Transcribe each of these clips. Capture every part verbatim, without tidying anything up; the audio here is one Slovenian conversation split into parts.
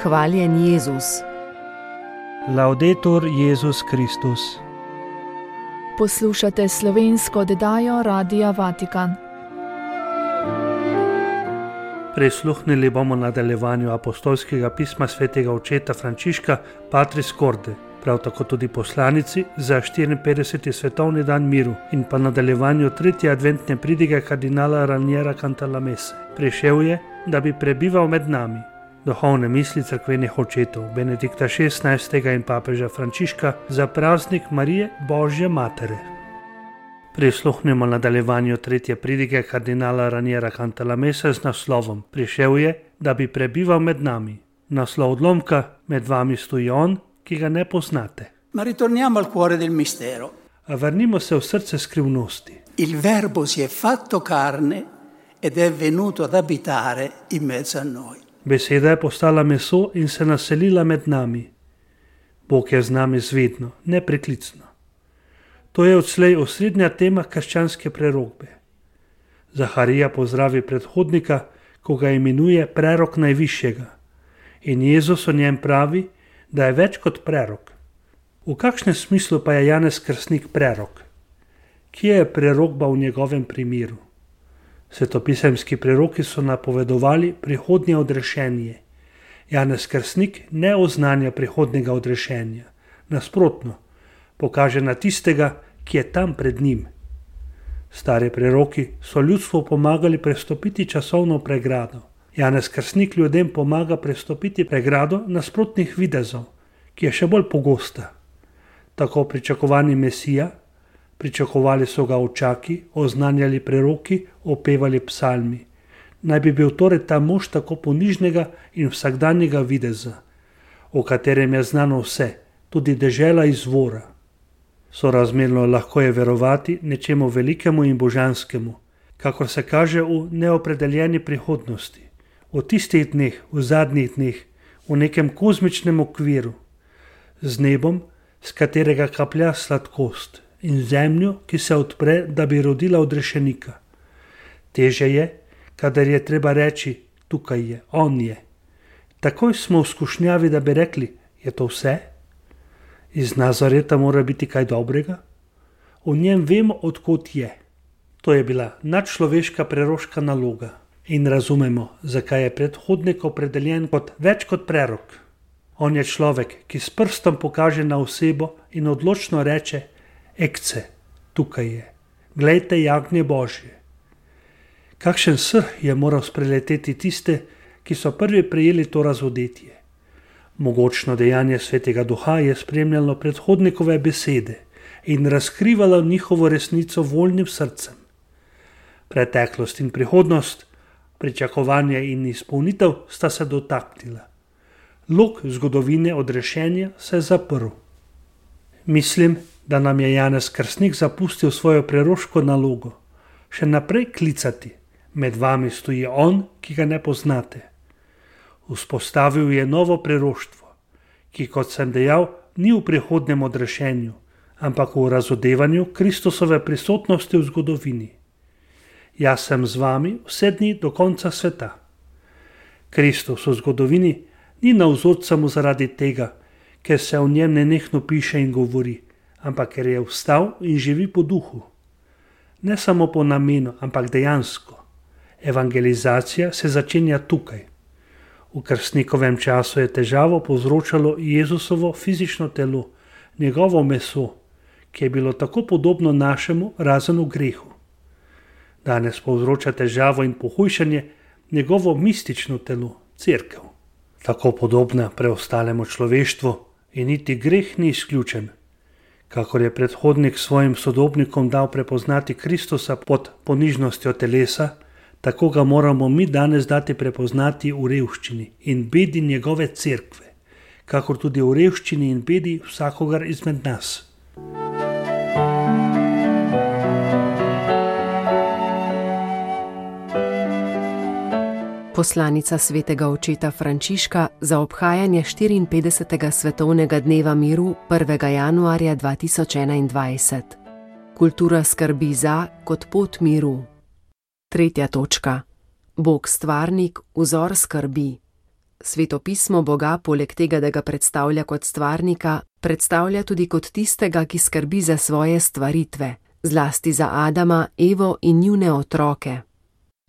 Hvaljen Jezus. Laudetur Jezus Kristus. Poslušate slovensko oddajo Radia Vatikan. Prisluhnili bomo nadaljevanju apostolskega pisma svetega očeta Frančiška Patris Corde, prav tako tudi poslanici za štiriinpetdeseti svetovni dan miru in pa nadaljevanju tretje adventne pridige kardinala Raniera Cantalamesse. Prišel je, da bi prebival med nami. Duhovne misli cerkvenih očetov Benedikta šestnajstega in papeža Frančiška za praznik Marije Božje Matere. Prisluhnemo nadaljevanju tretje pridige kardinala Raniera Cantalamesse z naslovom Prišel je, da bi prebival med nami. Naslov odlomka: Med vami stoji on, ki ga ne poznate. Ma ritorniamo al cuore del mistero. A vrnimo se v srce skrivnosti. Il verbo si è fatto carne ed è venuto ad abitare in mezzo a noi. Beseda je postala meso in se naselila med nami. Bog je z nami zvedno, nepreklicno. To je odslej osrednja tema krščanske prerokbe. Zaharija pozdravi predhodnika, ko ga imenuje prerok najvišjega. In Jezus o njem pravi, da je več kot prerok. V kakšnem smislu pa je Janez Krstnik prerok? Kje je prerokba v njegovem primeru? Svetopisemski preroki so napovedovali prihodnje odrešenje. Janez Krstnik ne oznanja prihodnega odrešenja. Nasprotno, pokaže na tistega, ki je tam pred njim. Stari preroki so ljudstvu pomagali prestopiti časovno pregrado. Janez Krstnik ljudem pomaga prestopiti pregrado nasprotnih videzov, ki je še bolj pogosta. Tako pričakovani Mesija, pričakovali so ga očaki, oznanjali preroki, opevali psalmi. Naj bi bil torej ta mož tako ponižnega in vsakdanjega videza, o katerem je znano vse, tudi dežela izvora. Sorazmerno lahko je verovati nečemu velikemu in božanskemu, kakor se kaže v neopredeljeni prihodnosti, v tistih dneh, v zadnjih dneh, v nekem kozmičnem okviru, z nebom, z katerega kaplja sladkost, in zemljo, ki se odpre, da bi rodila odrešenika. Teže je, kadar je treba reči, tukaj je, on je. Takoj smo v skušnjavi, da bi rekli, je to vse? Iz Nazareta mora biti kaj dobrega? V njem vemo, odkot je. To je bila nadčloveška preroška naloga in razumemo, zakaj je predhodnik opredeljen kot več kot prerok. On je človek, ki s prstom pokaže na osebo in odločno reče, ekce, tukaj je, glejte jagnje Božje. Kakšen srh je moral spreleteti tiste, ki so prvi prejeli to razodetje. Mogočno dejanje Svetega Duha je spremljalo predhodnikove besede in razkrivalo njihovo resnico voljnim srcem. Preteklost in prihodnost, pričakovanje in izpolnitev sta se dotaknila. Lok zgodovine odrešenja se je zaprl. Mislim, da nam je Janez Krstnik zapustil svojo preroško nalogo. Še naprej klicati, med vami stoji on, ki ga ne poznate. Vzpostavil je novo preroštvo, ki, kot sem dejal, ni v prihodnem odrešenju, ampak v razodevanju Kristusove prisotnosti v zgodovini. Jaz sem z vami vse dni do konca sveta. Kristus v zgodovini ni navzoč samo zaradi tega, ker se o njem nenehno piše in govori, ampak ker je vstal in živi po duhu. Ne samo po namenu, ampak dejansko. Evangelizacija se začenja tukaj. V krstnikovem času je težavo povzročalo Jezusovo fizično telo, njegovo meso, ki je bilo tako podobno našemu, razen v grehu. Danes povzroča težavo in pohujšanje njegovo mistično telo, cerkev. Tako podobna preostalemu človeštvu in niti greh ni izključen. Kakor je predhodnik svojim sodobnikom dal prepoznati Kristusa pod ponižnostjo telesa, tako ga moramo mi danes dati prepoznati v revščini in bedi njegove cerkve, kakor tudi v revščini in bedi vsakogar izmed nas. Poslanica svetega očeta Frančiška za obhajanje štiriinpetdesetega svetovnega dneva miru prvega januarja dva tisoč enaindvajset. Kultura skrbi za kot pot miru. Tretja točka. Bog stvarnik, vzor skrbi. Sveto pismo Boga poleg tega, da ga predstavlja kot stvarnika, predstavlja tudi kot tistega, ki skrbi za svoje stvaritve, zlasti za Adama, Evo in njune otroke.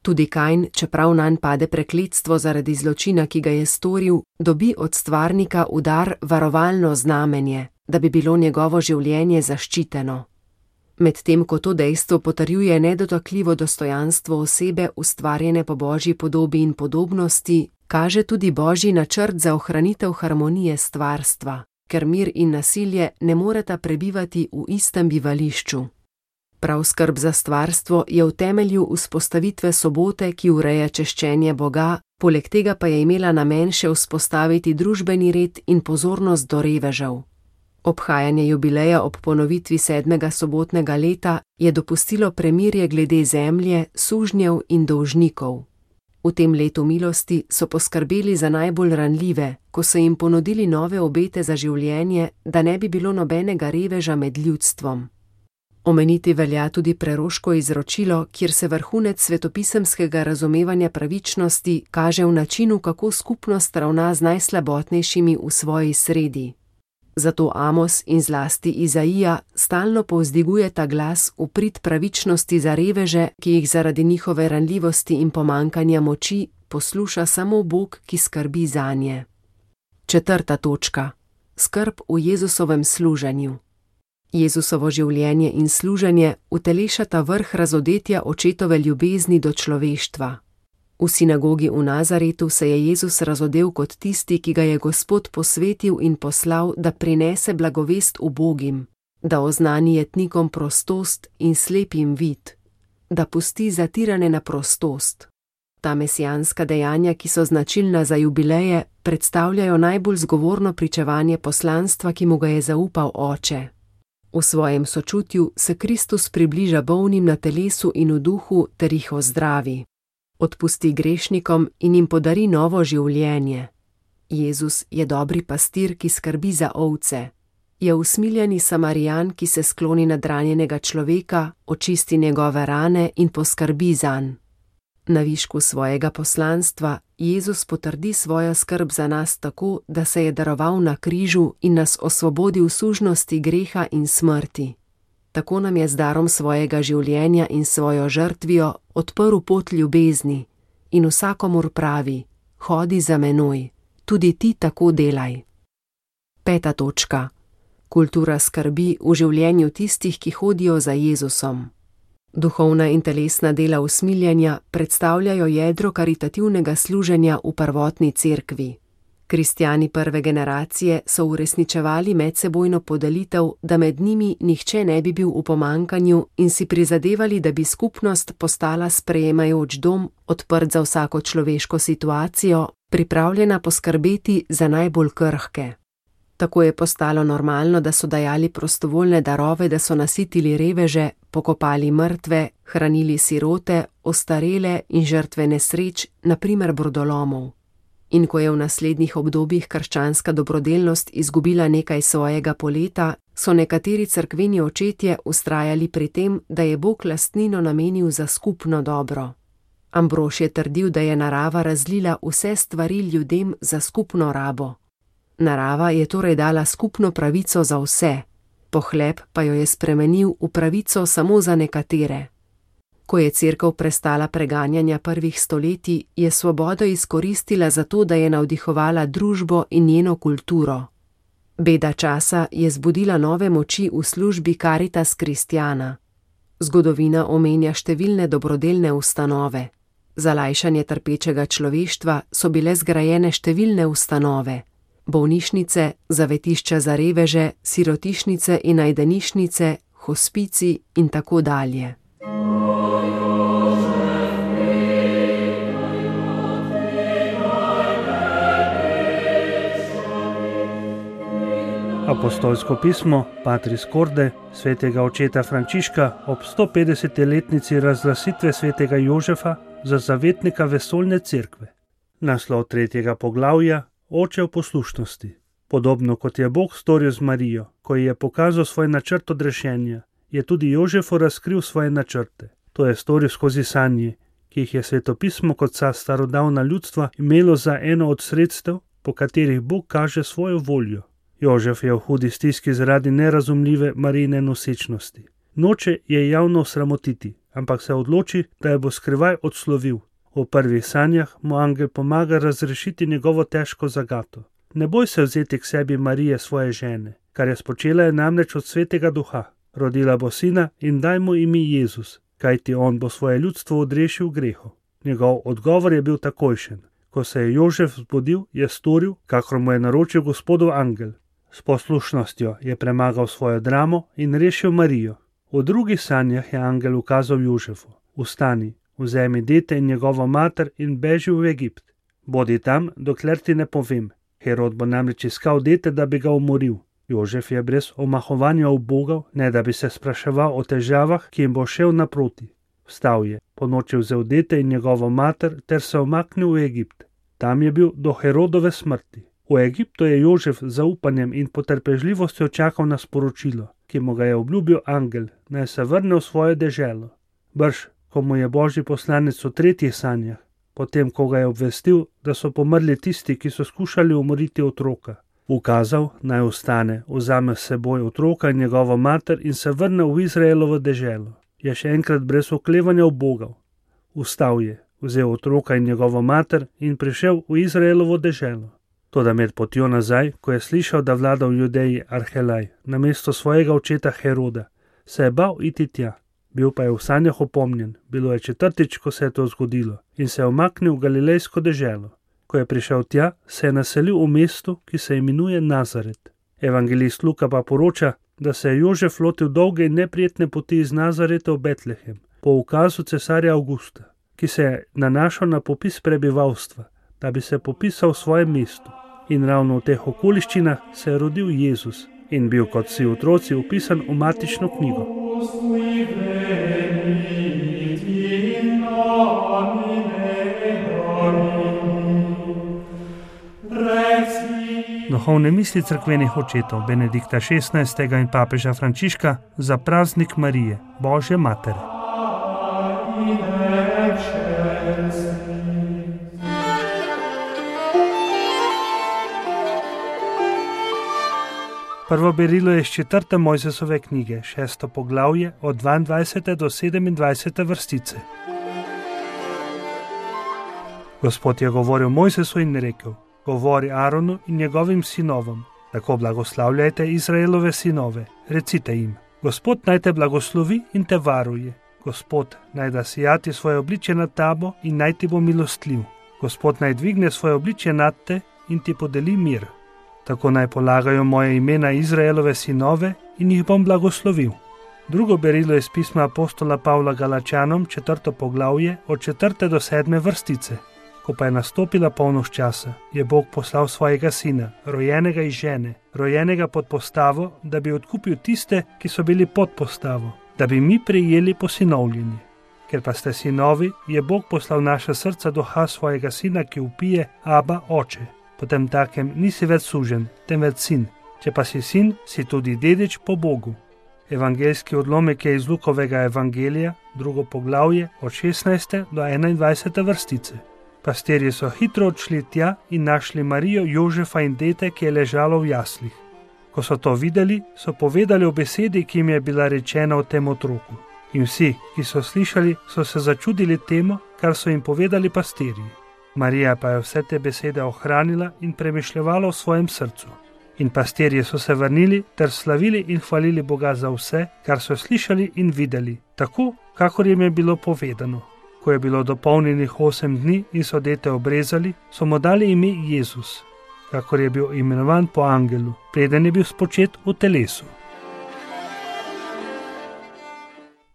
Tudi Kain, čeprav nanj pade prekletstvo zaradi zločina, ki ga je storil, dobi od stvarnika v dar varovalno znamenje, da bi bilo njegovo življenje zaščiteno. Medtem ko to dejstvo potrjuje nedotakljivo dostojanstvo osebe, ustvarjene po Božji podobi in podobnosti, kaže tudi Božji načrt za ohranitev harmonije stvarstva, ker mir in nasilje ne moreta prebivati v istem bivališču. Prav skrb za stvarstvo je v temelju vzpostavitve sobote, ki ureja češčenje Boga, poleg tega pa je imela namen še vzpostaviti družbeni red in pozornost do revežev. Obhajanje jubileja ob ponovitvi sedmega sobotnega leta je dopustilo premirje glede zemlje, sužnjev in dolžnikov. V tem letu milosti so poskrbeli za najbolj ranljive, ko so jim ponudili nove obete za življenje, da ne bi bilo nobenega reveža med ljudstvom. Omeniti velja tudi preroško izročilo, kjer se vrhunec svetopisemskega razumevanja pravičnosti kaže v načinu, kako skupnost ravna z najslabotnejšimi v svoji sredi. Zato Amos in zlasti Izaija stalno povzdigujeta glas v prid pravičnosti za reveže, ki jih zaradi njihove ranljivosti in pomankanja moči posluša samo Bog, ki skrbi zanje. Četrta točka. Skrb v Jezusovem služenju. Jezusovo življenje in služenje utelešata vrh razodetja očetove ljubezni do človeštva. V sinagogi v Nazaretu se je Jezus razodel kot tisti, ki ga je Gospod posvetil in poslal, da prinese blagovest ubogim, da oznani jetnikom prostost in slepim vid, da pusti zatirane na prostost. Ta mesijanska dejanja, ki so značilna za jubileje, predstavljajo najbolj zgovorno pričevanje poslanstva, ki mu ga je zaupal Oče. V svojem sočutju se Kristus približa bolnim na telesu in v duhu ter jih ozdravi. Odpusti grešnikom in jim podari novo življenje. Jezus je dobri pastir, ki skrbi za ovce. Je usmiljeni Samarijan, ki se skloni nad ranjenega človeka, očisti njegove rane in poskrbi zanj. Na višku svojega poslanstva Jezus potrdi svojo skrb za nas tako, da se je daroval na križu in nas osvobodil sužnosti greha in smrti. Tako nam je z darom svojega življenja in svojo žrtvijo odprl pot ljubezni in vsakomur pravi: hodi za menoj, tudi ti tako delaj. Peta točka. Kultura skrbi v življenju tistih, ki hodijo za Jezusom. Duhovna in telesna dela usmiljanja predstavljajo jedro karitativnega služenja v prvotni cerkvi. Kristjani prve generacije so uresničevali medsebojno podelitev, da med njimi nihče ne bi bil v pomankanju in si prizadevali, da bi skupnost postala sprejemajoč dom, odprt za vsako človeško situacijo, pripravljena poskrbeti za najbolj krhke. Tako je postalo normalno, da so dajali prostovoljne darove, da so nasitili reveže, pokopali mrtve, hranili sirote, ostarele in žrtve nesreč, na primer brodolomov. In ko je v naslednjih obdobjih krščanska dobrodelnost izgubila nekaj svojega poleta, so nekateri cerkveni očetje vztrajali pri tem, da je Bog lastnino namenil za skupno dobro. Ambrož je trdil, da je narava razlila vse stvari ljudem za skupno rabo. Narava je torej dala skupno pravico za vse, pohleb pa jo je spremenil v pravico samo za nekatere. Ko je cerkev prestala preganjanja prvih stoletij, je svobodo izkoristila za to, da je navdihovala družbo in njeno kulturo. Beda časa je zbudila nove moči v službi Caritas Christiana. Zgodovina omenja številne dobrodelne ustanove. Za lajšanje trpečega človeštva so bile zgrajene številne ustanove. Bolnišnice, zavetišča za reveže, sirotišnice in najdenišnice, hospici in tako dalje. Apostolsko pismo Patris Corde svetega očeta Frančiška ob stopetdesetletnici razglasitve svetega Jožefa za zavetnika vesoljne cerkve. Naslov tretjega poglavja: Oče v poslušnosti. Podobno kot je Bog storil z Marijo, ko ji je pokazal svoj načrt odrešenja, je tudi Jožefu razkril svoje načrte. To je storil skozi sanje, ki ki jih je svetopismo kot vsa starodavna ljudstva imelo za eno od sredstev, po katerih Bog kaže svojo voljo. Jožef je v hudi stiski zaradi nerazumljive Marijine nosečnosti. Noče je javno sramotiti, ampak se odloči, da jo bo skrivaj odslovil. V prvih sanjah mu angel pomaga razrešiti njegovo težko zagato. Ne boj se vzeti k sebi Marije, svoje žene, kar je spočela je namreč od svetega duha. Rodila bo sina in daj mu ime Jezus, kajti on bo svoje ljudstvo odrešil grehu. Njegov odgovor je bil takojšen. Ko se je Jožef zbudil, je storil, kakor mu je naročil Gospodov angel. S poslušnostjo je premagal svojo dramo in rešil Marijo. V drugih sanjah je angel ukazal Jožefu: Vstani, vzemi dete in njegovo mater in beži v Egipt. Bodi tam, dokler ti ne povem. Herod bo namreč iskal dete, da bi ga umoril. Jožef je brez omahovanja ubogal, ne da bi se spraševal o težavah, ki jim bo šel naproti. Vstal je, ponoči vzel dete in njegovo mater ter se umaknil v Egipt. Tam je bil do Herodove smrti. V Egiptu je Jožef z zaupanjem in potrpežljivostjo čakal na sporočilo, ki mu ga je obljubil angel, naj se vrne v svojo deželo. Brž, ko mu je božji poslanec v tretjih sanjah, potem ko ga je obvestil, da so pomrli tisti, ki so skušali umoriti otroka, ukazal, naj ostane, vzame s seboj otroka in njegovo mater in se vrne v Izraelovo deželo. Je še enkrat brez oklevanja ubogal. Vstal je, vzel otroka in njegovo mater in prišel v Izraelovo deželo. Toda med potjo nazaj, ko je slišal, da vlada v Judeji Arhelaj namesto svojega očeta Heroda, se je bal iti tja. Bil pa je v sanjah opomnjen, bilo je četrtič, ko se je to zgodilo, in se je umaknil v galilejsko deželo. Ko je prišel tja, se je naselil v mestu, ki se imenuje Nazaret. Evangelist Luka pa poroča, da se je Jožef lotil dolge in neprijetne poti iz Nazareta v Betlehem, po ukazu cesarja Avgusta, ki se je nanašal na popis prebivalstva, da bi se popisal v svojem mestu. In ravno v teh okoliščinah se je rodil Jezus in bil kot vsi otroci upisan v matično knjigo. Duhovne misli cerkvenih očetov Benedikta šestnajstega in papeža Frančiška za praznik Marije, Božje matere. Prvo berilo je iz četrte Mojzesove knjige, šesto poglavje, od dvaindvajsete do sedemindvajsete vrstice. Gospod je govoril Mojzesu in rekel: Govori Aronu in njegovim sinovom, tako blagoslavljajte Izraelove sinove, recite jim: Gospod naj te blagoslovi in te varuje. Gospod naj da sijati svoje obličje nad tabo in naj ti bo milostljiv. Gospod naj dvigne svoje obličje nad te in ti podeli mir. Tako naj polagajo moje imena Izraelove sinove in jih bom blagoslovil. Drugo berilo je iz pisma apostola Pavla Galačanom, četrto poglavje, od četrte do sedme vrstice. Ko pa je nastopila polnoč časa, je Bog poslal svojega sina, rojenega iz žene, rojenega pod postavo, da bi odkupil tiste, ki so bili pod postavo, da bi mi prejeli posinovljenje. Ker pa ste sinovi, je Bog poslal naša srca duha svojega sina, ki vpije: Aba, oče. Potem takem nisi več suženj, temveč sin. Če pa si sin, si tudi dedič po Bogu. Evangeljski odlomek je iz Lukovega evangelija, drugo poglavje, od šestnajste do enaindvajsete vrstice. Pastirji so hitro odšli tja in našli Marijo, Jožefa in dete, ki je ležalo v jaslih. Ko so to videli, so povedali o besedi, ki jim je bila rečena o tem otroku. In vsi, ki so slišali, so se začudili temu, kar so jim povedali pastirji. Marija pa je vse te besede ohranila in premišljevala v svojem srcu. In pastirji so se vrnili ter slavili in hvalili Boga za vse, kar so slišali in videli, tako, kakor jim je bilo povedano. Ko je bilo dopolnjenih osem dni in so dete obrezali, so mu dali ime Jezus, kakor je bil imenovan po angelu, preden je bil spočet v telesu.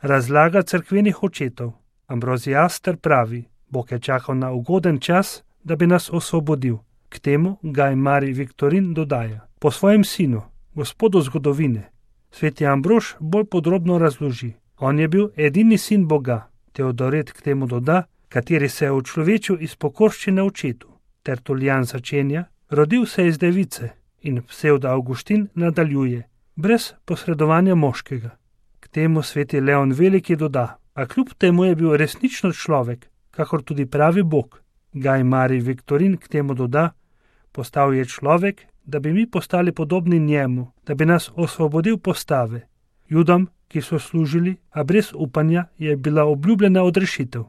Razlaga cerkvenih očetov. Ambroziaster pravi: Bog je čakal na ugoden čas, da bi nas osvobodil. K temu Gaj Marij Viktorin dodaja: po svojem sinu, gospodu zgodovine. Sveti Ambrož bolj podrobno razloži: on je bil edini sin Boga. Teodoret k temu doda, kateri se je učlovečil iz pokorščine očetu. Tertulijan začenja: rodil se iz device, in Psevda Avguštin nadaljuje: brez posredovanja moškega. K temu sveti Leon Veliki doda: a kljub temu je bil resnično človek, kakor tudi pravi Bog. Gaj Marij Viktorin k temu doda: postal je človek, da bi mi postali podobni njemu, da bi nas osvobodil postave. Judom, ki so služili, a brez upanja, je bila obljubljena odrešitev.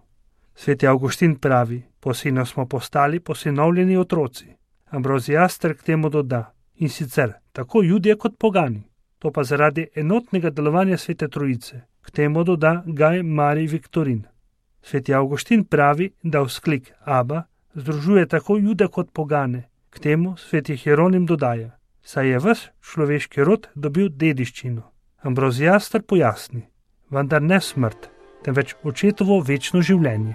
Sveti Avguštin pravi: po sinu smo postali posinovljeni otroci. Ambrozijaster k temu doda: in sicer tako Judje kot pogani. To pa zaradi enotnega delovanja Svete Trojice. K temu doda Gaj Marij Viktorin. Sveti Avguštin pravi, da vzklik Aba združuje tako Jude kot pogane. K temu sveti Hieronim dodaja: saj je ves človeški rod dobil dediščino. Ambrozijaster pojasni: vendar ne smrt, temveč očetovo večno življenje.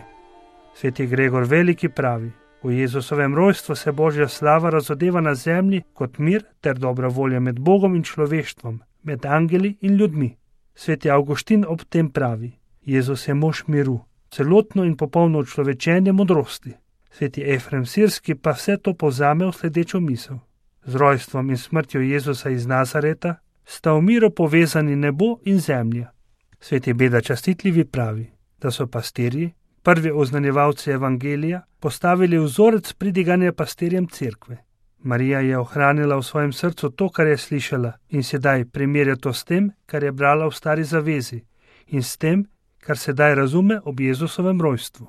Sveti Gregor Veliki pravi: v Jezusovem rojstvu se Božja slava razodeva na zemlji kot mir ter dobra volja med Bogom in človeštvom, med angeli in ljudmi. Sveti Avguštin ob tem pravi: Jezus je mož miru, celotno in popolno človečenje modrosti. Sveti Efrem Sirski pa vse to povzame v sledečo misel: z rojstvom in smrtjo Jezusa iz Nazareta sta v miru povezani nebo in zemlja. Sveti Beda Častitljivi pravi, da so pastirji, prvi oznanjevalci evangelija, postavili vzorec pridiganja pastirjem cerkve. Marija je ohranila v svojem srcu to, kar je slišala, in sedaj primerja to s tem, kar je brala v Stari zavezi, in s tem, kar sedaj razume ob Jezusovem rojstvu.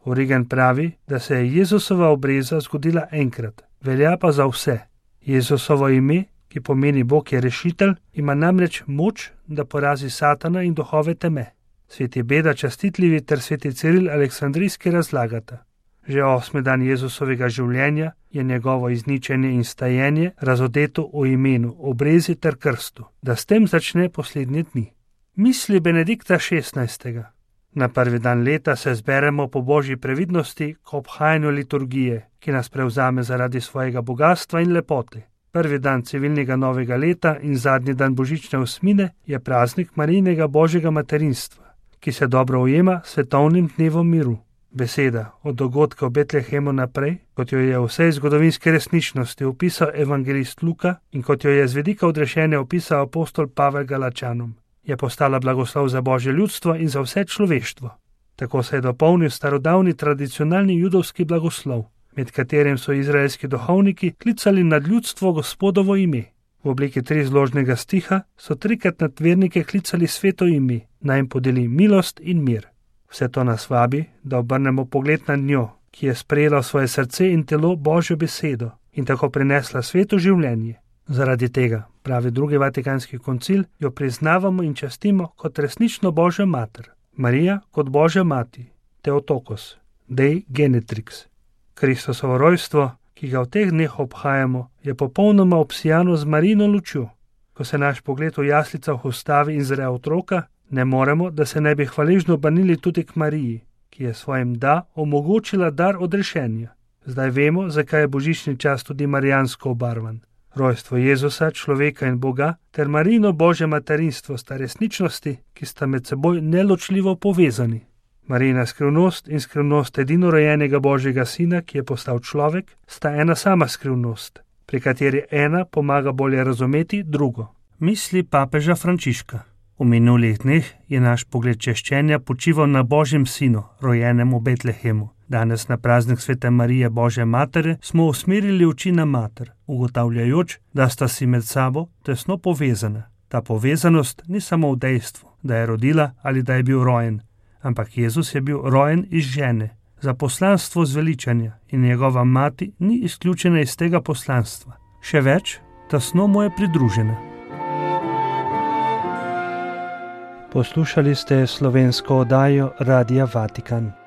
Origen pravi, da se je Jezusova obreza zgodila enkrat, velja pa za vse. Jezusovo ime, ki pomeni Bog je rešitelj, ima namreč moč, da porazi Satana in duhove teme. Sveti Beda Častitljivi ter sveti Ciril Aleksandrijski razlagata: že osmi dan Jezusovega življenja je njegovo izničenje in stajenje razodeto o imenu, obrezi ter krstu, da s tem začne poslednje dni. Misli Benedikta šestnajstega. Na prvi dan leta se zberemo po božji previdnosti k obhajanju liturgije, ki nas prevzame zaradi svojega bogatstva in lepote. Prvi dan civilnega novega leta in zadnji dan božične osmine je praznik Marijinega božjega materinstva, ki se dobro ujema s svetovnim dnevom miru. Beseda od dogodka v Betlehemu naprej, kot jo je v vsej zgodovinski resničnosti opisal evangelist Luka in kot jo je z vidika odrešenja opisal apostol Pavel Galačanom, je postala blagoslov za božje ljudstvo in za vse človeštvo. Tako se je dopolnil starodavni tradicionalni judovski blagoslov, med katerim so izraelski duhovniki klicali nad ljudstvo Gospodovo ime. V obliki trizložnega stiha so trikrat nad vernike klicali sveto ime, naj jim podeli milost in mir. Vse to nas vabi, da obrnemo pogled na njo, ki je sprejela v svoje srce in telo Božjo besedo in tako prinesla sveto življenje. Zaradi tega, pravi drugi Vatikanski koncil, jo priznavamo in častimo kot resnično Božjo mater. Marija kot Božja mati, Theotokos, Dei Genetrix. Kristusovo rojstvo, ki ga v teh dneh obhajamo, je popolnoma obsijano z Marijino lučjo. Ko se naš pogled v jaslicah ustavi in zre otroka, ne moremo, da se ne bi hvaležno obrnili tudi k Mariji, ki je svojim da omogočila dar odrešenja. Zdaj vemo, zakaj je božični čas tudi marijansko obarvan. Rojstvo Jezusa, človeka in Boga, ter Marijino božje materinstvo sta resničnosti, ki sta med seboj neločljivo povezani. Marijina skrivnost in skrivnost edinorojenega Božjega sina, ki je postal človek, sta ena sama skrivnost, pri kateri ena pomaga bolje razumeti drugo. Misli papeža Frančiška. V minulih dneh je naš pogled češčenja počival na Božjem sinu, rojenem v Betlehemu. Danes na praznik Svete Marije Božje matere smo usmerili oči na mater, ugotavljajoč, da sta si med sabo tesno povezana. Ta povezanost ni samo v dejstvu, da je rodila ali da je bil rojen, ampak Jezus je bil rojen iz žene, za poslanstvo zveličanja in njegova mati ni izključena iz tega poslanstva. Še več, tesno mu je pridružena. Poslušali ste slovensko oddajo Radia Vatikan.